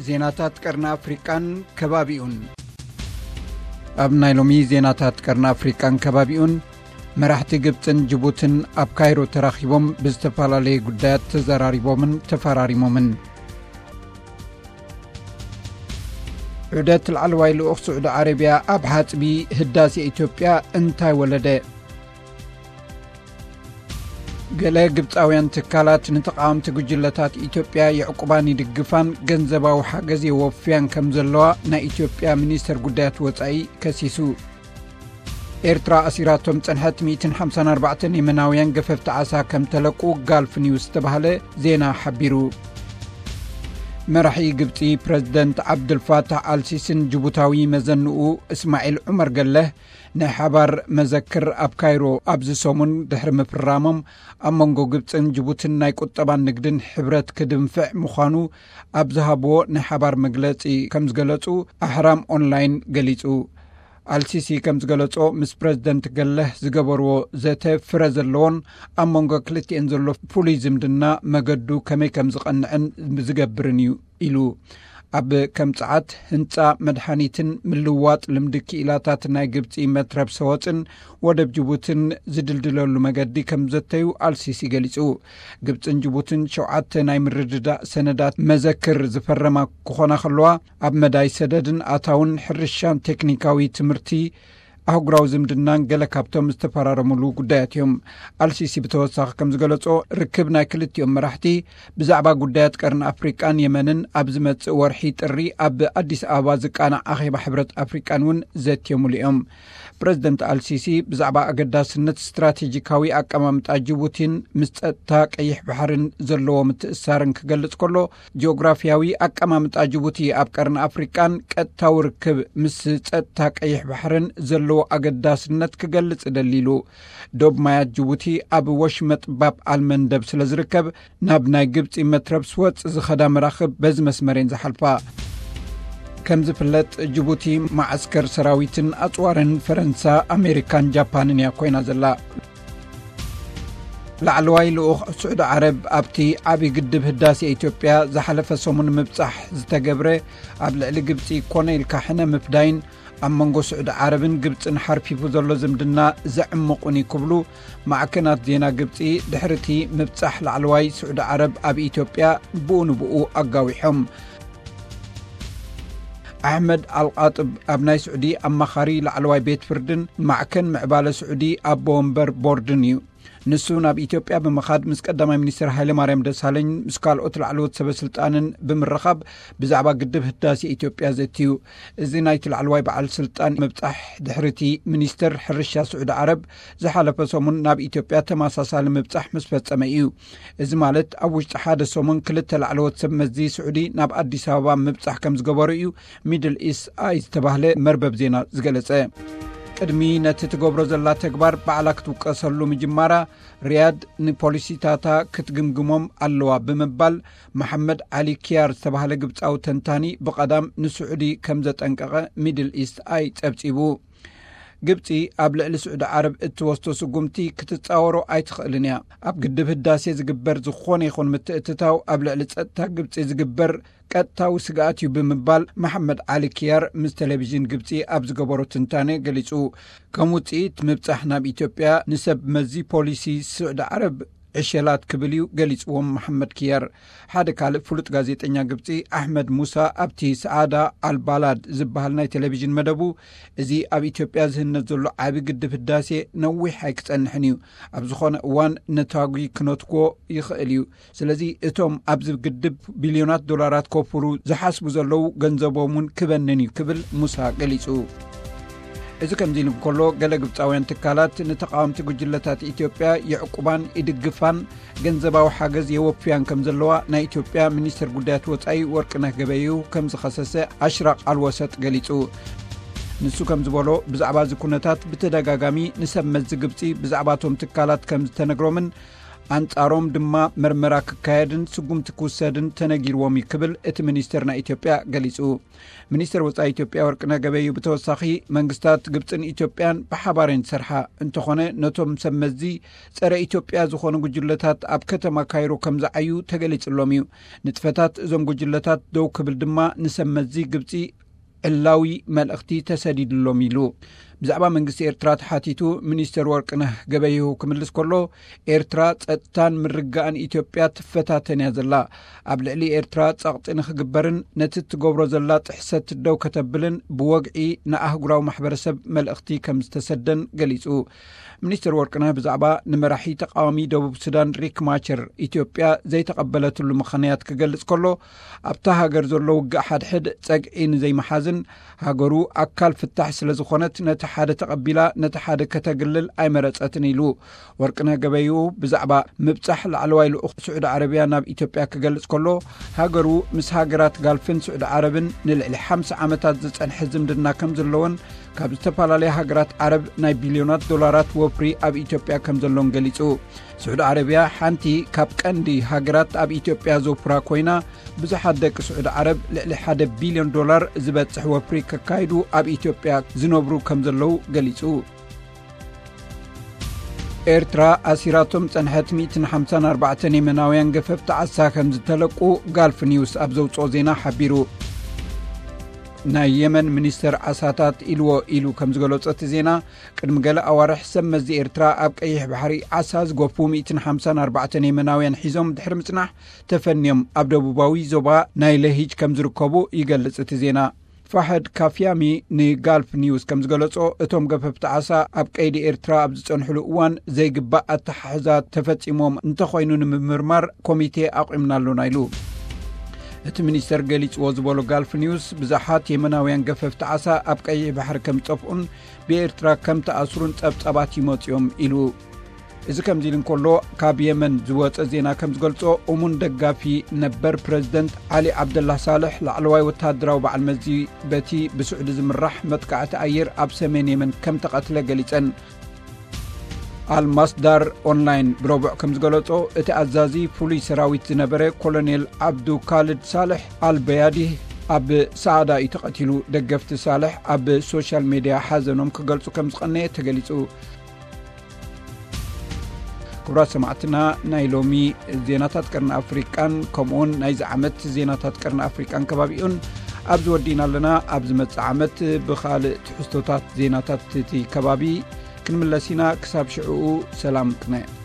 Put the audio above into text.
ዜናታት ቀርኒ ኣፍሪቃን ከባቢኡን። ኣብ ናይ ሎሚ ዜናታት ቀርኒ ኣፍሪቃን ከባቢኡን፣ መራሕቲ ግብጽን ጅቡትን ኣብ ካይሮ ተራኺቦም ብዝተፈላለየ ጉዳያት ተዘራሪቦምን ተፈራሪሞምን። ዑደት ላዕለዋይ ልኡኽ ስዑዲ ዓረብያ ኣብ ሓጽቢ ህዳሴ ኢትዮጵያ እንታይ ወለደ? ገለ ግብጻውያን ትካላት ንተቓወምቲ ጉጅለታት ኢትዮጵያ የዕቁባን ይድግፋን፣ ገንዘባዊ ሓገዝ የወፍያን ከም ዘለዋ ናይ ኢትዮጵያ ሚኒስተር ጉዳያት ወጻኢ ከሲሱ። ኤርትራ ኣሲራቶም ጸንሐት ሚእትን ሓምሳን ኣርባዕተን የመናውያን ገፈፍቲ ዓሳ ከም ተለቁ ጋልፍ ኒውስ ዝተባህለ ዜና ሓቢሩ። መራሒ ግብጺ ፕረዚደንት ዓብዱልፋታሕ ኣልሲስን ጅቡታዊ መዘንኡ እስማዒል ዑመር ገለህ ናይ ሓባር መዘክር ኣብ ካይሮ ኣብዚ ሰሙን ድሕሪ ምፍራሞም፣ ኣብ መንጎ ግብጽን ጅቡትን ናይ ቁጠባን ንግድን ሕብረት ክድንፍዕ ምዃኑ ኣብ ዝሃብዎ ናይ ሓባር መግለጺ ከም ዝገለጹ ኣሕራም ኦንላይን ገሊጹ። ኣልሲሲ ከም ዝገለጾ፣ ምስ ፕረዚደንት ገለህ ዝገበርዎ ዘተ ፍረ ዘለዎን ኣብ መንጎ ክልቲኤን ዘሎ ፍሉይ ዝምድና መገዱ ከመይ ከም ዝቐንዕን ዝገብርን እዩ ኢሉ። ኣብ ከም ጸዓት፣ ህንጻ፣ መድሓኒትን ምልዋጥ ልምዲ ክኢላታት ናይ ግብጺ መትረብ ሰወጽን ወደብ ጅቡትን ዝድልድለሉ መገዲ ከም ዘተዩ ኣልሲሲ ገሊጹ። ግብጽን ጅቡትን ሸውዓተ ናይ ምርድዳእ ሰነዳት መዘክር ዝፈረማ ክኾና ከለዋ፣ ኣብ መዳይ ሰደድን ኣታውን፣ ሕርሻን፣ ቴክኒካዊ ትምህርቲ፣ ኣህጉራዊ ዝምድናን ገለ ካብቶም ዝተፈራረሙሉ ጉዳያት እዮም። ኣልሲሲ ብተወሳኺ ከም ዝገለጾ፣ ርክብ ናይ ክልቲኦም መራሕቲ ብዛዕባ ጉዳያት ቀርኒ ኣፍሪቃን የመንን ኣብ ዝመጽእ ወርሒ ጥሪ ኣብ ኣዲስ ኣበባ ዝቃናዕ ኣኼባ ሕብረት ኣፍሪቃን እውን ዘትዮምሉ እዮም። ፕረዚደንት ኣልሲሲ ብዛዕባ ኣገዳስነት ስትራቴጂካዊ ኣቀማምጣ ጅቡቲን ምስ ጸጥታ ቀይሕ ባሕርን ዘለዎ ምትእስሳርን ክገልጽ ከሎ፣ ጂኦግራፊያዊ ኣቀማምጣ ጅቡቲ ኣብ ቀርኒ ኣፍሪቃን ቀጥታዊ ርክብ ምስ ጸጥታ ቀይሕ ባሕርን ዘለዎ ኣገዳስነት ክገልጽ ደሊሉ። ዶብ ማያት ጅቡቲ ኣብ ወሽመጥ ባብ ኣልመንደብ ስለ ዝርከብ፣ ናብ ናይ ግብጺ መትረብ ስወጽ ዝኸዳ መራኽብ በዚ መስመር እየን ዝሓልፋ። ከም ዝፍለጥ፣ ጅቡቲ መዓስከር ሰራዊትን ኣጽዋርን ፈረንሳ፣ ኣሜሪካን ጃፓንን እያ ኮይና ዘላ። ላዕለዋይ ልኡኽ ስዑዲ ዓረብ ኣብቲ ዓቢ ግድብ ህዳሴ ኢትዮጵያ ዝሓለፈ ሰሙን ምብጻሕ ዝተገብረ፣ ኣብ ልዕሊ ግብጺ ኮነ ኢልካ ሕነ ምፍዳይን ኣብ መንጎ ስዑዲ ዓረብን ግብጽን ሓርፊፉ ዘሎ ዝምድና ዘዕምቑን እዩ ክብሉ ማዕከናት ዜና ግብጺ ድሕሪቲ ምብጻሕ ላዕለዋይ ስዑዲ ዓረብ ኣብ ኢትዮጵያ ብኡ ንብኡ ኣጋዊሖም። ኣሕመድ ኣልቃጥብ ኣብ ናይ ስዑዲ ኣማኻሪ ላዕለዋይ ቤት ፍርድን ማዕከን ምዕባለ ስዑዲ ኣቦ ወንበር ቦርድን እዩ። ንሱ ናብ ኢትዮጵያ ብምኻድ ምስ ቀዳማይ ሚኒስትር ሃይለማርያም ደሳለኝ ምስ ካልኦት ላዕለዎት ሰበ ስልጣንን ብምርኻብ ብዛዕባ ግድብ ህዳሴ ኢትዮጵያ ዘትዩ። እዚ ናይቲ ላዕለዋይ በዓል ስልጣን ምብጻሕ ድሕሪቲ ሚኒስትር ሕርሻ ስዑዲ ዓረብ ዝሓለፈ ሰሙን ናብ ኢትዮጵያ ተመሳሳሊ ምብጻሕ ምስ ፈጸመ እዩ። እዚ ማለት ኣብ ውሽጢ ሓደ ሰሙን ክልተ ላዕለዎት ሰብ መዚ ስዑዲ ናብ ኣዲስ ኣበባ ምብጻሕ ከም ዝገበሩ እዩ ሚድል ኢስት ኣይ ዝተባህለ መርበብ ዜና ዝገለጸ። ቅድሚ ነቲ ትገብሮ ዘላ ተግባር ባዕላ ክትውቀሰሉ ምጅማራ፣ ሪያድ ንፖሊሲታታ ክትግምግሞም ኣለዋ ብምባል መሓመድ ዓሊ ኪያር ዝተባህለ ግብጻዊ ተንታኒ ብቐዳም ንስዑዲ ከም ዘጠንቀቐ ሚድል ኢስት ኣይ ጸብጺቡ። ግብጺ ኣብ ልዕሊ ስዑዲ ዓረብ እትወስዶ ስጉምቲ ክትጻወሮ ኣይትኽእልን እያ። ኣብ ግድብ ህዳሴ ዝግበር ዝኾነ ይኹን ምትእትታው ኣብ ልዕሊ ጸጥታ ግብጺ ዝግበር ቀጥታዊ ስግኣት እዩ ብምባል መሓመድ ዓሊ ኪያር ምስ ቴሌቪዥን ግብጺ ኣብ ዝገበሮ ትንታነ ገሊጹ። ከም ውጽኢት ምብጻሕ ናብ ኢትዮጵያ ንሰብ መዚ ፖሊሲ ስዑዲ ዓረብ ዕሸላት ክብል እዩ ገሊጽዎም መሓመድ ኪያር። ሓደ ካልእ ፍሉጥ ጋዜጠኛ ግብጺ ኣሕመድ ሙሳ ኣብቲ ሰዓዳ ኣልባላድ ዝበሃል ናይ ቴሌቪዥን መደቡ፣ እዚ ኣብ ኢትዮጵያ ዝህነጽ ዘሎ ዓቢ ግድብ ህዳሴ ነዊሕ ኣይክጸንሕን እዩ፣ ኣብ ዝኾነ እዋን ነታጒ ክነትጎ ይኽእል እዩ። ስለዚ እቶም ኣብዚ ግድብ ቢልዮናት ዶላራት ከውፍሩ ዝሓስቡ ዘለዉ ገንዘቦም እውን ክበንን እዩ ክብል ሙሳ ገሊጹ። እዚ ከምዚ ኢሉ እንከሎ፣ ገለ ግብጻውያን ትካላት ንተቓወምቲ ጉጅለታት ኢትዮጵያ የዕቁባን ይድግፋን፣ ገንዘባዊ ሓገዝ የወፍያን ከም ዘለዋ ናይ ኢትዮጵያ ሚኒስትር ጉዳያት ወጻኢ ወርቅነህ ገበየሁ ከም ዝኸሰሰ ኣሽራቕ ኣልወሰጥ ገሊጹ። ንሱ ከም ዝበሎ፣ ብዛዕባ እዚ ኩነታት ብተደጋጋሚ ንሰብ መዚ ግብጺ ብዛዕባ እቶም ትካላት ከም ዝተነግሮምን ኣንጻሮም ድማ መርመራ ክካየድን ስጉምቲ ክውሰድን ተነጊርዎም እዩ ክብል እቲ ሚኒስተር ናይ ኢትዮጵያ ገሊጹ። ሚኒስተር ወጻኢ ኢትዮጵያ ወርቅነህ ገበዩ ብተወሳኺ መንግስታት ግብጽን ኢትዮጵያን ብሓባር እየን ዝሰርሓ፣ እንተኾነ ነቶም ሰብ መዚ ጸረ ኢትዮጵያ ዝኾኑ ጉጅለታት ኣብ ከተማ ካይሮ ከም ዝዓዩ ተገሊጽሎም እዩ። ንጥፈታት እዞም ጉጅለታት ደው ክብል ድማ ንሰብ መዚ ግብጺ ዕላዊ መልእኽቲ ተሰዲድሎም ኢሉ። ብዛዕባ መንግስቲ ኤርትራ ተሓቲቱ ሚኒስተር ወርቅነህ ገበየሁ ክምልስ ከሎ፣ ኤርትራ ጸጥታን ምርግጋእን ኢትዮጵያ ትፈታተን እያ ዘላ። ኣብ ልዕሊ ኤርትራ ጸቕጢ ንኽግበርን ነቲ እትገብሮ ዘላ ጥሕሰት ደው ከተብልን ብወግዒ ንኣህጉራዊ ማሕበረሰብ መልእኽቲ ከም ዝተሰደን ገሊጹ። ሚኒስተር ወርቅነህ ብዛዕባ ንመራሒ ተቃዋሚ ደቡብ ሱዳን ሪክ ማቸር ኢትዮጵያ ዘይተቐበለትሉ ምኽንያት ክገልጽ ከሎ፣ ኣብታ ሃገር ዘሎ ውግእ ሓድሕድ ጸግዒ ንዘይምሓዝን ሃገሩ ኣካል ፍታሕ ስለ ዝኾነት ነቲ ሓደ ተቐቢላ ነቲ ሓደ ከተግልል ኣይመረጸትን ኢሉ። ወርቅነህ ገበዩ ብዛዕባ ምብጻሕ ላዕለዋይ ልኡኽ ስዑዲ ዓረብያ ናብ ኢትዮጵያ ክገልጽ ከሎ፣ ሃገሩ ምስ ሃገራት ጋልፍን ስዑዲ ዓረብን ንልዕሊ ሓምሳ ዓመታት ዝጸንሐ ዝምድና ከም ዘለዎን ካብ ዝተፈላለያ ሃገራት ዓረብ ናይ ቢልዮናት ዶላራት ወፍሪ ኣብ ኢትዮጵያ ከም ዘሎን ገሊጹ። ስዑዲ ዓረብያ ሓንቲ ካብ ቀንዲ ሃገራት ኣብ ኢትዮጵያ ዘውፍራ ኮይና፣ ብዙሓት ደቂ ስዑዲ ዓረብ ልዕሊ ሓደ ቢልዮን ዶላር ዝበጽሕ ወፍሪ ከካይዱ ኣብ ኢትዮጵያ ዝነብሩ ከም ዘለዉ ገሊጹ። ኤርትራ ኣሲራቶም ጸንሐት ሚእትን ሓምሳን ኣርባዕተን የመናውያን ገፈፍቲ ዓሳ ከም ዝተለቁ ጋልፍ ኒውስ ኣብ ዘውጽኦ ዜና ሓቢሩ። ናይ የመን ሚኒስተር ዓሳታት ኢልዎ ኢሉ ከም ዝገለጾ እቲ ዜና፣ ቅድሚ ገለ ኣዋርሕ ሰብ መዚ ኤርትራ ኣብ ቀይሕ ባሕሪ ዓሳ ዝጎፉ ሚእትን ሓምሳን ኣርባዕተን የመናውያን ሒዞም ድሕሪ ምጽናሕ ተፈንዮም ኣብ ደቡባዊ ዞባ ናይ ለሂጅ ከም ዝርከቡ ይገልጽ እቲ ዜና። ፋሕድ ካፍያሚ ንጋልፍ ኒውስ ከም ዝገለጾ፣ እቶም ገፈፍቲ ዓሳ ኣብ ቀይዲ ኤርትራ ኣብ ዝጸንሕሉ እዋን ዘይግባእ ኣተሓሕዛ ተፈጺሞም እንተኾይኑ ንምምርማር ኮሚቴ ኣቑምና ኣሎና ኢሉ። እቲ ሚኒስተር ገሊጽዎ ዝበሎ ጋልፍ ኒውስ፣ ብዙሓት የመናውያን ገፈፍቲ ዓሳ ኣብ ቀይሕ ባሕሪ ከም ዝጠፍኡን ብኤርትራ ከም ተኣስሩን ጸብጻባት ይመጽዮም ኢሉ። እዚ ከምዚ ኢሉ እንከሎ፣ ካብ የመን ዝወጸ ዜና ከም ዝገልጾ፣ እሙን ደጋፊ ነበር ፕረዚደንት ዓሊ ዓብደላ ሳልሕ፣ ላዕለዋይ ወተሃደራዊ በዓል መዚ በቲ ብስዑዲ ዝምራሕ መጥቃዕቲ ኣየር ኣብ ሰሜን የመን ከም ተቐትለ ገሊጸን። ኣልማስዳር ኦንላይን ብረቡዕ ከም ዝገለጾ፣ እቲ ኣዛዚ ፍሉይ ሰራዊት ዝነበረ ኮሎኔል ዓብዱ ካልድ ሳልሕ ኣልበያዲህ ኣብ ሰዓዳ እዩ ተቐቲሉ። ደገፍቲ ሳልሕ ኣብ ሶሻል ሜድያ ሓዘኖም ክገልጹ ከም ዝቐነየ ተገሊጹ። ክቡራት ሰማዕትና፣ ናይ ሎሚ ዜናታት ቀርኒ ኣፍሪቃን ከምኡውን ናይዚ ዓመት ዜናታት ቀርኒ ኣፍሪቃን ከባቢኡን ኣብዚ ወዲእና ኣለና። ኣብ ዝመጽእ ዓመት ብኻልእ ትሕዝቶታት ዜናታት እቲ ከባቢ ክንምለስ ኢና። ክሳብ ሽዕኡ ሰላም ቅነ።